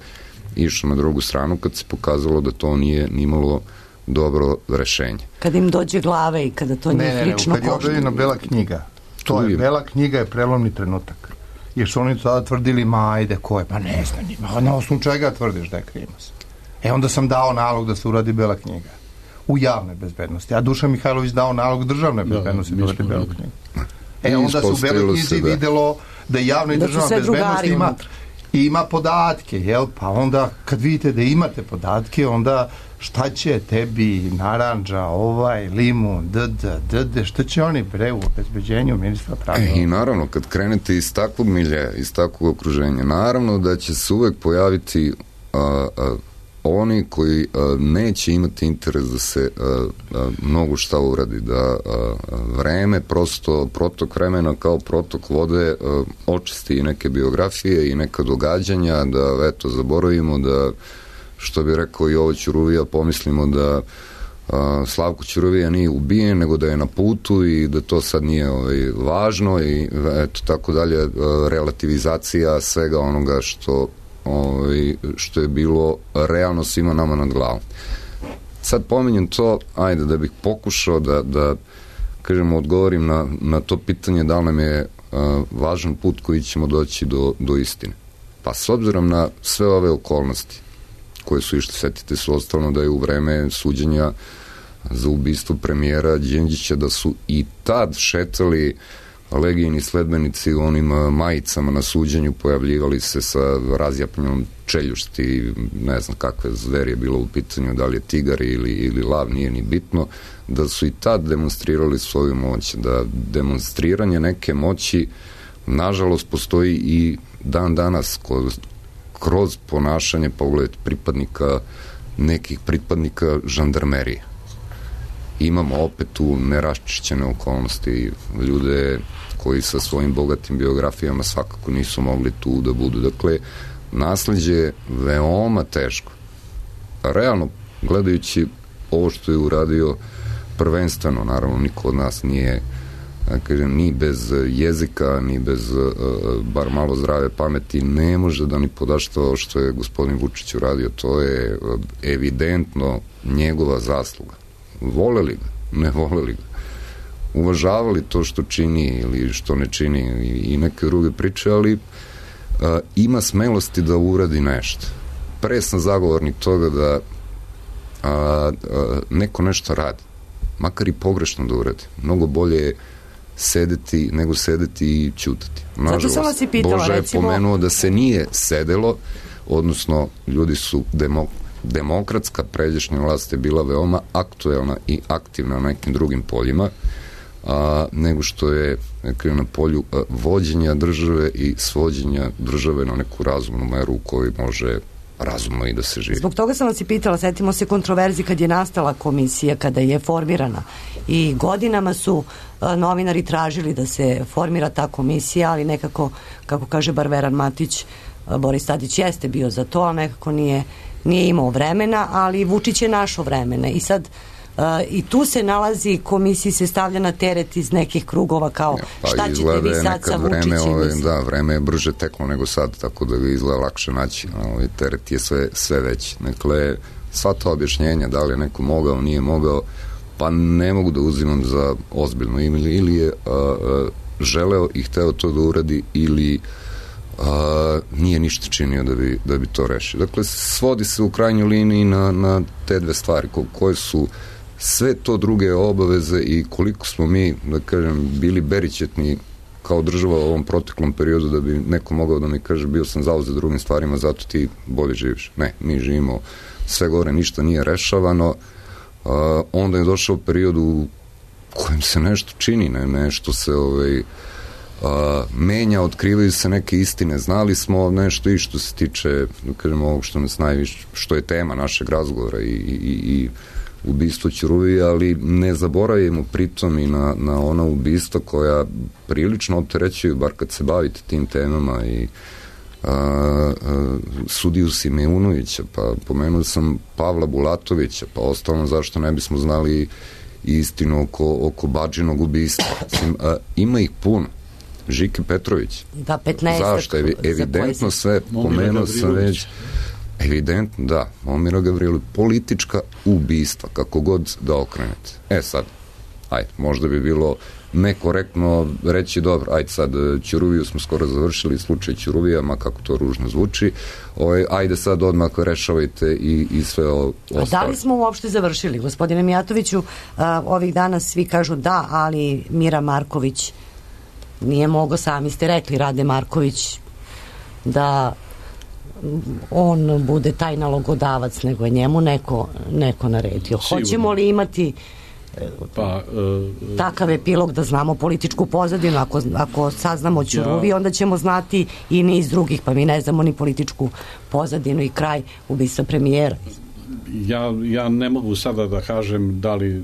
išlo na drugu stranu kad se pokazalo da to nije nimalo dobro rešenje. Kad im dođe glave i kada to njih ne, lično ne, kad je objavljena Bela knjiga, to je, Bela knjiga je prelomni trenutak. Jer su oni tada tvrdili, ma ajde, ko je? Pa ne znam, na osnovu čega tvrdiš da je krimac? E, onda sam dao nalog da se uradi Bela knjiga u javnoj bezbednosti, a Dušan Mihajlović dao nalog državne bezbednosti da uradi Belu knjigu. E, onda su u Beloj knjizi da. videlo da javna i da državna bezbednost ima, ima podatke, jel? Pa onda kad vidite da imate podatke, onda šta će tebi naranđa, ovaj, limun, dd, dd, šta će oni bre u obezbeđenju ministra pravda? E, I naravno, kad krenete iz takvog miljeja, iz takvog okruženja, naravno da će se uvek pojaviti a, a, oni koji a, neće imati interes da se a, a, mnogo šta uradi, da a, a, vreme, prosto protok vremena kao protok vode a, očisti i neke biografije i neka događanja, da eto, zaboravimo da, što bi rekao i ovo Ćuruvija, pomislimo da a, Slavko Ćuruvija nije ubijen, nego da je na putu i da to sad nije ovaj, važno i eto, tako dalje, a, relativizacija svega onoga što Ovaj, što je bilo realno svima nama nad glavom. Sad pominjem to, ajde, da bih pokušao da, da kažemo, odgovorim na, na to pitanje da li nam je a, važan put koji ćemo doći do, do istine. Pa s obzirom na sve ove okolnosti koje su išli, setite se ostalo da je u vreme suđenja za ubistvo premijera Đinđića, da su i tad šetali legijini sledbenici u onim majicama na suđenju, pojavljivali se sa razjapljenom čeljušti, ne znam kakve zveri je bilo u pitanju, da li je tigar ili, ili lav, nije ni bitno, da su i tad demonstrirali svoju moć, da demonstriranje neke moći nažalost postoji i dan danas kroz, kroz ponašanje, pogled pripadnika, nekih pripadnika žandarmerije. Imamo opet tu neraščišćene okolnosti, ljude koji sa svojim bogatim biografijama svakako nisu mogli tu da budu. Dakle, nasleđe je veoma teško. Realno, gledajući ovo što je uradio prvenstveno, naravno niko od nas nije, da kažem, ni bez jezika, ni bez bar malo zdrave pameti, ne može da ni podaštva što je gospodin Vučić uradio. To je evidentno njegova zasluga. Voleli ga, ne voleli ga, uvažavali to što čini ili što ne čini i neke druge priče, ali a, ima smelosti da uradi nešto. Pre sam zagovornik toga da a, a, neko nešto radi, makar i pogrešno da uradi. Mnogo bolje je sedeti nego sedeti i ćutati. Nažalost, Boža je recimo... pomenuo da se nije sedelo, odnosno ljudi su demo demokratska pređašnja vlast je bila veoma aktuelna i aktivna na nekim drugim poljima, a, nego što je nekako, na polju a, vođenja države i svođenja države na neku razumnu meru u kojoj može razumno i da se živi. Zbog toga sam vas i pitala, setimo se kontroverzi kad je nastala komisija, kada je formirana i godinama su a, novinari tražili da se formira ta komisija, ali nekako, kako kaže bar Veran Matić, a, Boris Tadić jeste bio za to, a nekako nije nije imao vremena, ali Vučić je našao vremena i sad uh, i tu se nalazi, komisiji se stavlja na teret iz nekih krugova kao ja, pa šta ćete vi sad sa Vučićem? Ove, da, vreme je brže teklo nego sad, tako da ga izgleda lakše naći. Ovaj teret je sve, sve veći. Dakle, sva ta objašnjenja, da li je neko mogao, nije mogao, pa ne mogu da uzimam za ozbiljno. Ili, ili je uh, uh, želeo i hteo to da uradi, ili Uh, nije ništa činio da bi, da bi to rešio. Dakle, svodi se u krajnjoj liniji na, na te dve stvari ko, koje su sve to druge obaveze i koliko smo mi, da kažem, bili berićetni kao država u ovom proteklom periodu da bi neko mogao da mi kaže bio sam zauzet drugim stvarima, zato ti bolje živiš. Ne, mi živimo sve gore, ništa nije rešavano. Uh, onda je došao period u kojem se nešto čini, ne, nešto se ovaj, uh, menja, otkrivaju se neke istine. Znali smo nešto i što se tiče, da kažem, ovog što nas najviše, što je tema našeg razgovora i, i, i ubistvo Ćuruvije, ali ne zaboravimo pritom i na, na ona ubistva koja prilično opterećuju, bar kad se bavite tim temama, i a, a, sudiju Simeunovića, pa pomenuo sam Pavla Bulatovića, pa ostalo zašto ne bismo znali istinu oko, oko Badžinog ubistva. A, ima ih puno. Žike Petrović. Da, petnaest. Zašto? Evi, evidentno sve, pomenuo sam već. Evidentno, da, Momira Gavrilović, politička ubistva, kako god da okrenete. E sad, ajde, možda bi bilo nekorektno reći, dobro, ajde sad, Ćuruviju smo skoro završili, slučaj Ćuruvija, ma kako to ružno zvuči, ovaj, ajde sad odmah rešavajte i, i sve ostalo. A da li smo uopšte završili, gospodine Mijatoviću? A, ovih dana svi kažu da, ali Mira Marković nije mogao, sami ste rekli, Rade Marković, da on bude taj nalogodavac, nego je njemu neko, neko naredio. Sigurno. Hoćemo li imati pa, uh, takav epilog da znamo političku pozadinu? Ako, ako saznamo Ćuruvi, ja, onda ćemo znati i niz drugih, pa mi ne znamo ni političku pozadinu i kraj ubistva premijera. Ja, ja ne mogu sada da kažem da li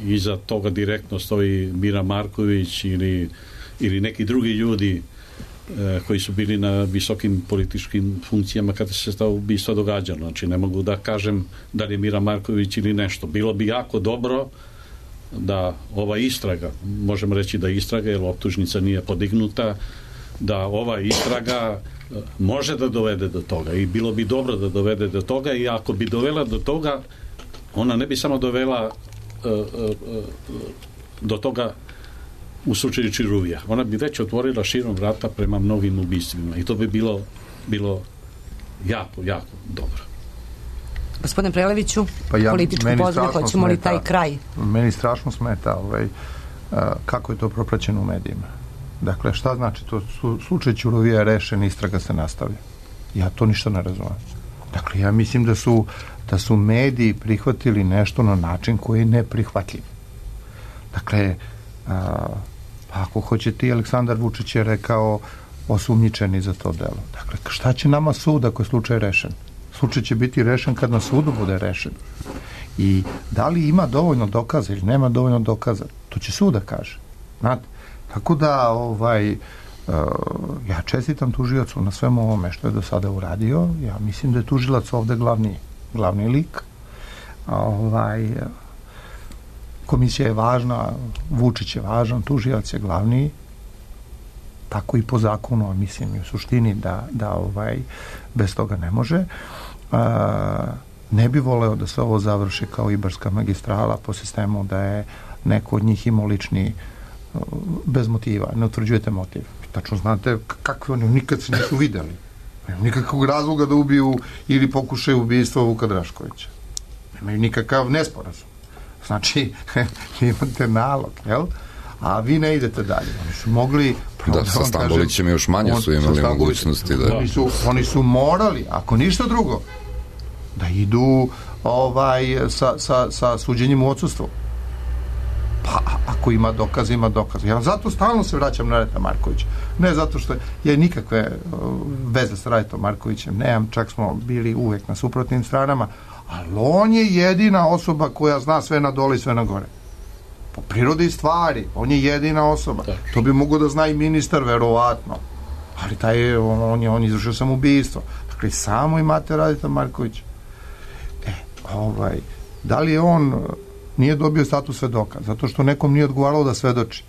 iza toga direktno stoji Mira Marković ili, ili neki drugi ljudi koji su bili na visokim političkim funkcijama kada se to ubistvo događalo. Znači, ne mogu da kažem da li je Mira Marković ili nešto. Bilo bi jako dobro da ova istraga, možemo reći da istraga, jer optužnica nije podignuta, da ova istraga može da dovede do toga i bilo bi dobro da dovede do toga, i ako bi dovela do toga, ona ne bi samo dovela uh, uh, uh, do toga u slučaju Ćuruvija. Ona bi već otvorila širom vrata prema mnogim ubistvima i to bi bilo, bilo jako, jako dobro. Gospodine Preleviću, pa ja, političku pozadinu, hoćemo li taj kraj? Meni strašno smeta ovaj, uh, kako je to propraćeno u medijima. Dakle, šta znači to? Su, slučaj Ćuruvija je rešen, istraga se nastavlja. Ja to ništa ne razumem. Dakle, ja mislim da su, da su mediji prihvatili nešto na način koji je neprihvatljiv. Dakle, a, pa ako hoćete, i Aleksandar Vučić je rekao osumnjičeni za to delo. Dakle, šta će nama sud ako je slučaj rešen? Slučaj će biti rešen kad na sudu bude rešen. I da li ima dovoljno dokaza ili nema dovoljno dokaza, to će sud da kaže. Znate? Tako da, ovaj, uh, ja čestitam tužiocu na svemu ovome što je do sada uradio. Ja mislim da je tužilac ovde glavni, glavni lik. Ovaj, komisija je važna, Vučić je važan, tužilac je glavni, tako i po zakonu, a mislim i u suštini da, da ovaj, bez toga ne može. Uh, ne bi voleo da se ovo završi kao Ibarska magistrala po sistemu da je neko od njih imao lični bez motiva, ne utvrđujete motiv. Tačno znate kakve oni nikad se nisu videli. Nemaju nikakvog razloga da ubiju ili pokušaju ubistva Vuka Draškovića. Nemaju nikakav nesporazum. Znači, imate nalog, jel? A vi ne idete dalje. Oni su mogli... Da, sa Stambolićem još manje su imali mogućnosti. Da. Oni, su, oni su morali, ako ništa drugo, da idu ovaj, sa, sa, sa suđenjem u odsustvu. Pa ako ima dokaz, ima dokaz. Ja zato stalno se vraćam na Radeta Markovića. Ne zato što ja nikakve veze sa Radetom Markovićem nemam, čak smo bili uvek na suprotnim stranama, ali on je jedina osoba koja zna sve na dole i sve na gore. Po prirodi stvari, on je jedina osoba. To bi mogo da zna i ministar, verovatno. Ali taj, on, on je on izvršio samoubistvo. Dakle, samo imate Radeta Markovića. E, ovaj, da li je on nije dobio status svedoka, zato što nekom nije odgovaralo da svedoči.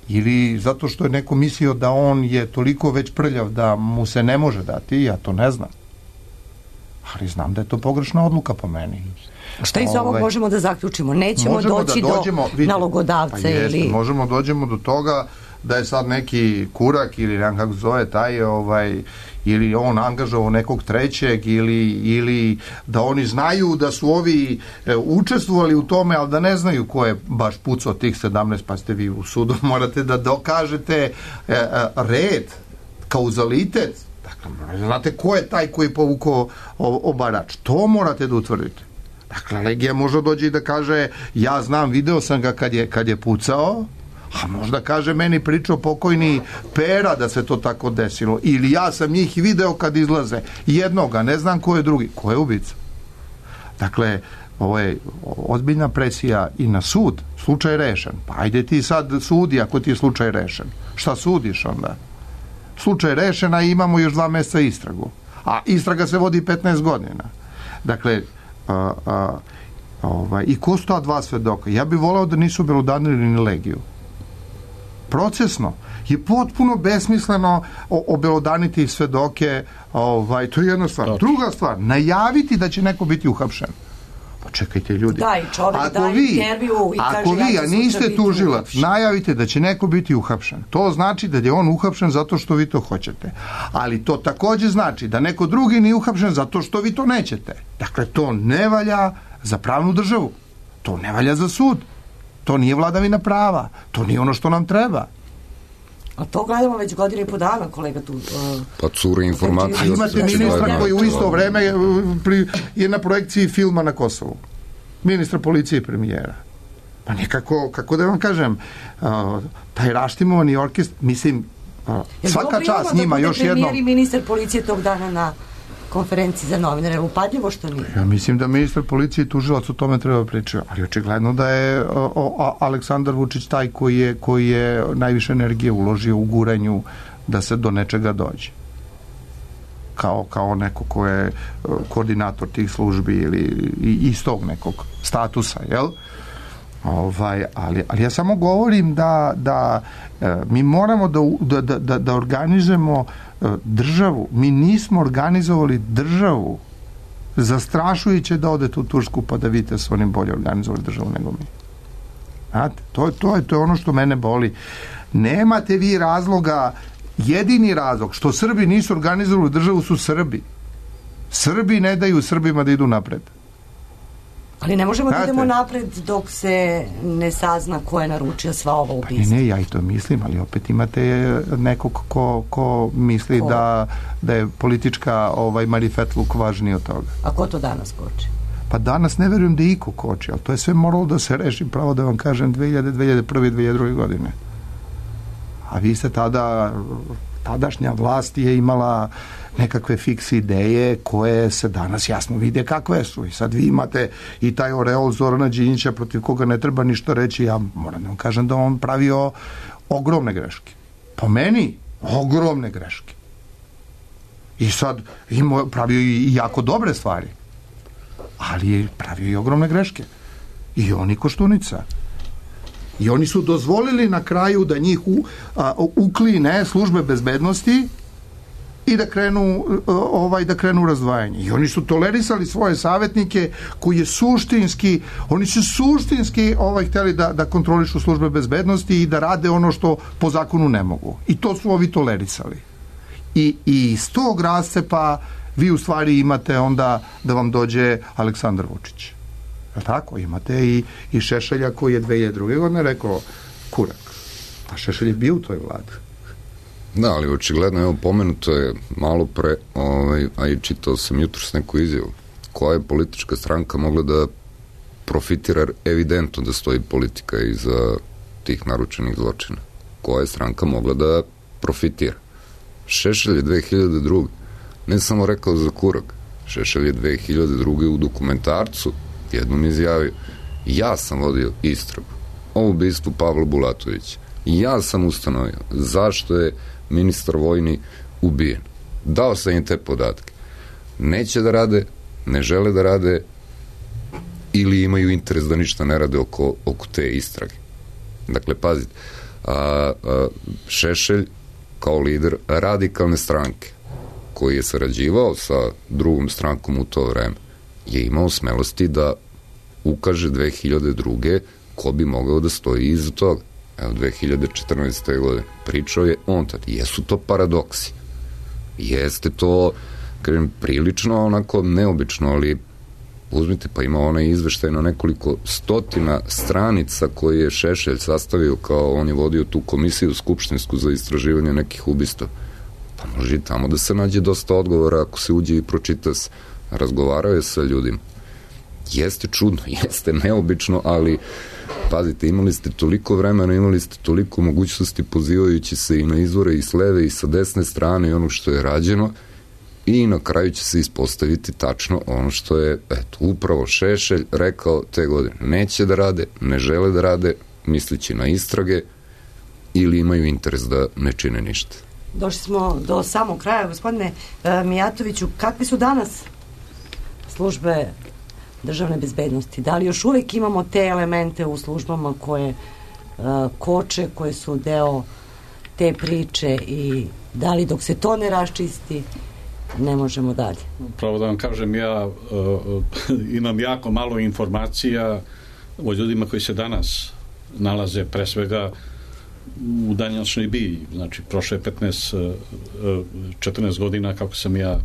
Ili zato što je neko mislio da on je toliko već prljav da mu se ne može dati, ja to ne znam. Ali znam da je to pogrešna odluka po meni. Šta iz ovog možemo da zaključimo? Nećemo doći da dođemo, do vidite, nalogodavca? Pa jest, ili... možemo dođemo do toga da je sad neki kurak ili nekako kako zove taj ovaj, ili on angažovao nekog trećeg ili, ili da oni znaju da su ovi e, učestvovali u tome, ali da ne znaju ko je baš pucao tih sedamnaest, pa ste vi u sudu, morate da dokažete e, e, red, kauzalitet. Dakle, znate ko je taj koji je povukao obarač. To morate da utvrdite. Dakle, Legija može dođe i da kaže ja znam, video sam ga kad je, kad je pucao, a možda kaže meni pričao pokojni Pera da se to tako desilo. Ili ja sam njih video kad izlaze. Jednoga, ne znam ko je drugi. Ko je ubica? Dakle, ovo je ozbiljna presija i na sud. Slučaj rešen. Pa ajde ti sad sudi ako ti je slučaj rešen. Šta sudiš onda? Slučaj rešena i imamo još dva mjeseca istragu. A istraga se vodi petnaest godina. Dakle, a, a, ovaj, i ko su ta dva svedoka? Ja bih voleo da nisu belodanili ni Legiju. Procesno je potpuno besmisleno obelodaniti svedoke, ovaj, to je jedna stvar. Doći. Druga stvar, najaviti da će neko biti uhapšen. Pa čekajte ljudi. Da, i čovjek ako daje vi, intervju i ako kaže vi, ja a niste tužilac, najavite da će neko biti uhapšen. To znači da je on uhapšen zato što vi to hoćete. Ali to takođe znači da neko drugi nije uhapšen zato što vi to nećete. Dakle, to ne valja za pravnu državu. To ne valja za sud. To nije vladavina prava. To nije ono što nam treba. A to gledamo već godinu i po dana, kolega tu. Uh, pa cure informacije. Imate ministra koji u isto vreme pri, je na projekciji filma na Kosovu. Ministra policije i premijera. Pa nekako, kako da vam kažem, uh, taj raštimovani orkest, mislim, uh, svaka čast njima, još jedno... Premijer i ministar policije tog dana na konferenciji za novinare, upadljivo što nije. Ja mislim da ministar policije i tužilac o tome treba pričati, ali očigledno da je o, o, Aleksandar Vučić taj koji je, koji je najviše energije uložio u guranju da se do nečega dođe. Kao, kao neko ko je koordinator tih službi ili iz tog nekog statusa, jel? Ovaj, ali, ali ja samo govorim da, da e, mi moramo da, da, da, da organizujemo e, državu. Mi nismo organizovali državu. Zastrašujuće da odete u Tursku pa da vidite su oni bolje organizovali državu nego mi. Znate, to, to, je, to je ono što mene boli. Nemate vi razloga, jedini razlog što Srbi nisu organizovali državu su Srbi. Srbi ne daju Srbima da idu napred. Ali ne možemo da idemo napred dok se ne sazna ko je naručio sva ova ubistva. Pa ne, ne, ja i to mislim, ali opet imate nekog ko, ko misli ko? Da, da je politička ovaj, marifetluk važniji od toga. A ko to danas koči? Pa danas ne verujem da iko koči, ali to je sve moralo da se reši, pravo da vam kažem, dve hiljade, dve hiljade prve, dve hiljade druge godine. A vi ste tada, tadašnja vlast je imala nekakve fiks ideje koje se danas jasno vide kakve su. I sad vi imate i taj oreol Zorana Đinđića protiv koga ne treba ništa reći. Ja moram da vam kažem da on pravio ogromne greške. Po meni ogromne greške. I sad ima, pravio i jako dobre stvari. Ali je pravio i ogromne greške. I oni Koštunica. I oni su dozvolili na kraju da njih u, a, ukline službe bezbednosti i da krenu ovaj da krenu razdvajanje. I oni su tolerisali svoje savjetnike koji je suštinski, oni su suštinski ovaj hteli da, da kontrolišu službe bezbednosti i da rade ono što po zakonu ne mogu. I to su ovi tolerisali. I, i iz tog rascepa vi u stvari imate onda da vam dođe Aleksandar Vučić. Je tako? Imate i, i Šešelja koji je dve hiljade druge godine rekao kurak. A Šešelj je bio u toj vladi. Da, ali očigledno, evo, pomenuto je malo pre, ovaj, a i čitao sam jutros neku izjavu, koja je politička stranka mogla da profitira, evidentno da stoji politika iza tih naručenih zločina. Koja je stranka mogla da profitira? Šešelj je dve hiljade druge ne samo rekao za kurak, Šešelj je dve hiljade druge u dokumentarcu jednom izjavio, ja sam vodio istragu o ubistvu Pavla Bulatovića. Ja sam ustanovio zašto je ministar vojni ubijen. Dao sam im te podatke. Neće da rade, ne žele da rade ili imaju interes da ništa ne rade oko, oko te istrage. Dakle, pazite, a, a, Šešelj kao lider radikalne stranke koji je sarađivao sa drugom strankom u to vreme je imao smelosti da ukaže dve hiljade druge ko bi mogao da stoji iza toga. evo, dve hiljade četrnaeste. godine. Pričao je on tad. Jesu to paradoksi. Jeste to, kažem, prilično onako neobično, ali uzmite, pa ima onaj izveštaj na nekoliko stotina stranica koji je Šešelj sastavio, kao on je vodio tu komisiju skupštinsku za istraživanje nekih ubistava. Pa može i tamo da se nađe dosta odgovora ako se uđe i pročita se. Razgovarao je sa ljudima. Jeste čudno, jeste neobično, ali pazite, imali ste toliko vremena, imali ste toliko mogućnosti pozivajući se i na izvore i s leve i sa desne strane i ono što je rađeno, i na kraju će se ispostaviti tačno ono što je, eto, upravo Šešelj rekao te godine. Neće da rade, ne žele da rade, mislići na istrage, ili imaju interes da ne čine ništa. Došli smo do samog kraja, gospodine e, Mijatoviću, kakvi su danas službe državne bezbednosti? Da li još uvek imamo te elemente u službama koje e, koče, koje su deo te priče, i da li dok se to ne raščisti ne možemo dalje? Pravo da vam kažem, ja uh, imam jako malo informacija o ljudima koji se danas nalaze pre svega u današnjoj BIA. Znači, prošle petnaest, četrnaest godina kako sam ja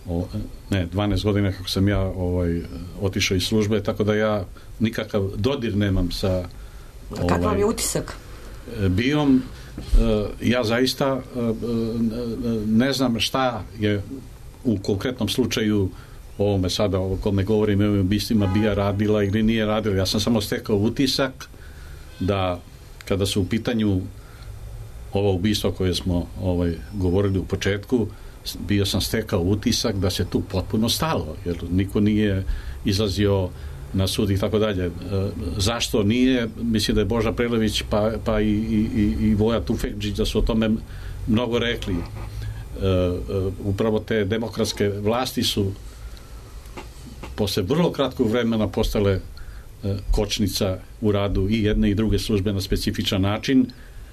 o, ne, dvanaest godina kako sam ja ovaj, otišao iz službe, tako da ja nikakav dodir nemam sa ovaj, kakav vam je utisak? BIA-om. Ja zaista ne znam šta je u konkretnom slučaju o ovome sada o kome govorim, o ubistvima BIA radila ili nije radila. Ja sam samo stekao utisak da kada su u pitanju ovo ubistvo koje smo ovaj, govorili u početku, bio sam stekao utisak da se tu potpuno stalo, jer niko nije izlazio na sud i tako dalje. Zašto nije? Mislim da je Boža Prelević pa, pa i, i, i Voja Tufekdžić da su o tome mnogo rekli. E, upravo te demokratske vlasti su posle vrlo kratkog vremena postale e, kočnica u radu i jedne i druge službe na specifičan način,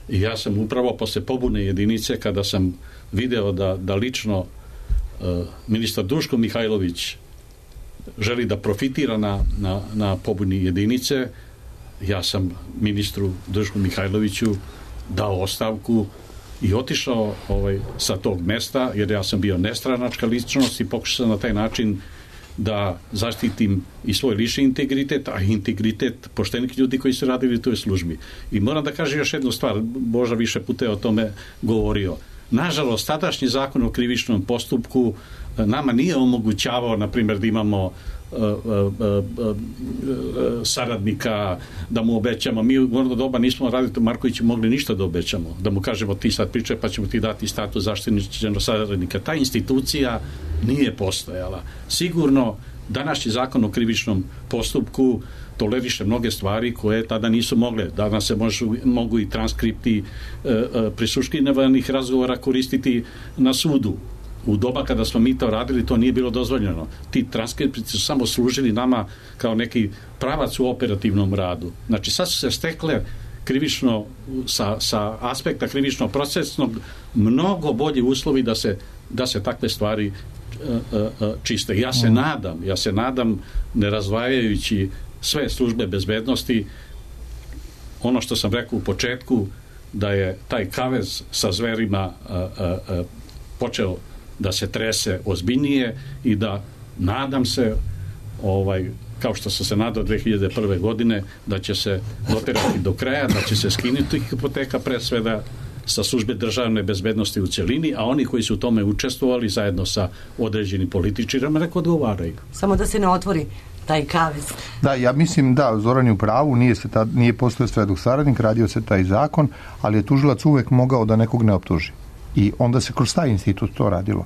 i ja sam upravo posle pobune jedinice, kada sam video da, da lično e, ministar Duško Mihajlović želi da profitira na, na, na pobuni jedinice, ja sam ministru Dušku Mihajloviću dao ostavku i otišao ovaj, sa tog mesta, jer ja sam bio nestranačka ličnost i pokušao sam na taj način da zaštitim i svoj lični integritet, a i integritet poštenih ljudi koji su radili u toj službi. I moram da kažem još jednu stvar, Boža više puta je o tome govorio. Nažalost, tadašnji zakon o krivičnom postupku nama nije omogućavao, na primjer, da imamo uh, uh, uh, uh, saradnika, da mu obećamo. Mi u ono doba nismo raditi Markoviću mogli ništa da obećamo. Da mu kažemo ti sad pričaj pa ćemo ti dati status zaštićenog saradnika. Ta institucija nije postojala. Sigurno, današnji zakon o krivičnom postupku toleriše mnoge stvari koje tada nisu mogle. Danas se možu, mogu i transkripti e, e, prisluškivanih razgovora koristiti na sudu. U doba kada smo mi to radili, to nije bilo dozvoljeno. Ti transkripti su samo služili nama kao neki pravac u operativnom radu. Znači, sad su se stekle krivično, sa, sa aspekta krivično-procesnog mnogo bolji uslovi da se, da se takve stvari e, e, čiste. Ja se nadam, ja se nadam, ne razdvajajući sve službe bezbednosti, ono što sam rekao u početku, da je taj kavez sa zverima a, a, a, počeo da se trese ozbiljnije i da, nadam se, ovaj, kao što sam se nadao dve hiljade prve. godine, da će se doterati do kraja, da će se skinuti hipoteka pre svega sa službe državne bezbednosti u celini, a oni koji su u tome učestvovali zajedno sa određenim političarima neko odgovaraju. Samo da se ne otvori taj kavez. Da, ja mislim da Zoran je u pravu, nije, se ta, nije postojao svedok saradnik, radio se taj zakon, ali je tužilac uvek mogao da nekog ne optuži. I onda se kroz taj institut to radilo.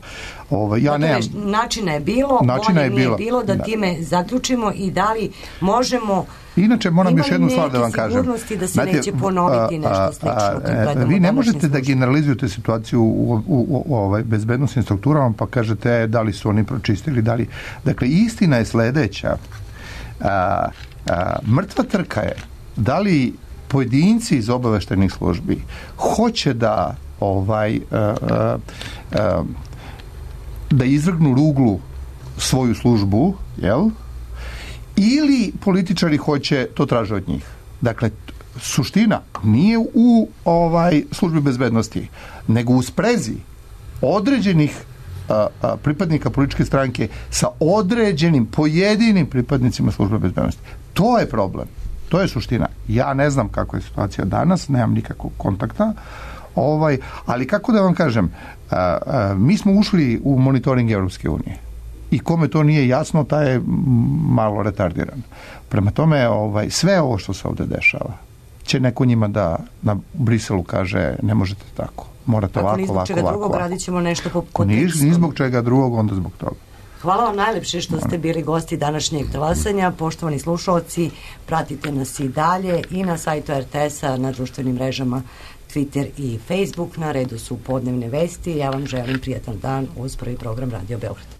Ovo, ja dakle, nemam... načina je bilo, načina je bilo, bilo da, da time zaključimo i da li možemo... Inače, moram još jednu stvar da vam kažem. Sigurnosti da se Znate, neće ponoviti nešto slično. A, a, vi ne možete da generalizujete situaciju u, u, u, u ovaj, bezbednostnim strukturama pa kažete e, da li su oni pročistili, da li... Dakle, istina je sledeća. A, a, mrtva trka je da li pojedinci iz obaveštajnih službi hoće da ovaj a, a, a, da izvrgnu ruglu svoju službu, jel? Ili političari hoće, to traže od njih. Dakle, suština nije u ovaj službi bezbednosti, nego u sprezi određenih a, a, pripadnika političke stranke sa određenim pojedinim pripadnicima službe bezbednosti. To je problem. To je suština. Ja ne znam kakva je situacija danas, nemam nikakvog kontakta, ovaj, ali kako da vam kažem, a, a, mi smo ušli u monitoring Evropske unije i kome to nije jasno, taj je malo retardiran. Prema tome, ovaj, sve ovo što se ovde dešava, će neko njima da na Briselu kaže ne možete tako, morate ovako, ovako, ovako. Ako ni zbog čega drugog, radit ćemo nešto po kontekstu. Ni zbog čega drugog, onda zbog toga. Hvala vam najlepše što ste bili gosti današnjeg talasanja. Poštovani slušalci, pratite nas i dalje i na sajtu er te es-a, na društvenim mrežama Twitter i Facebook. Na redu su podnevne vesti. Ja vam želim prijatan dan uz prvi program Radio Beograd.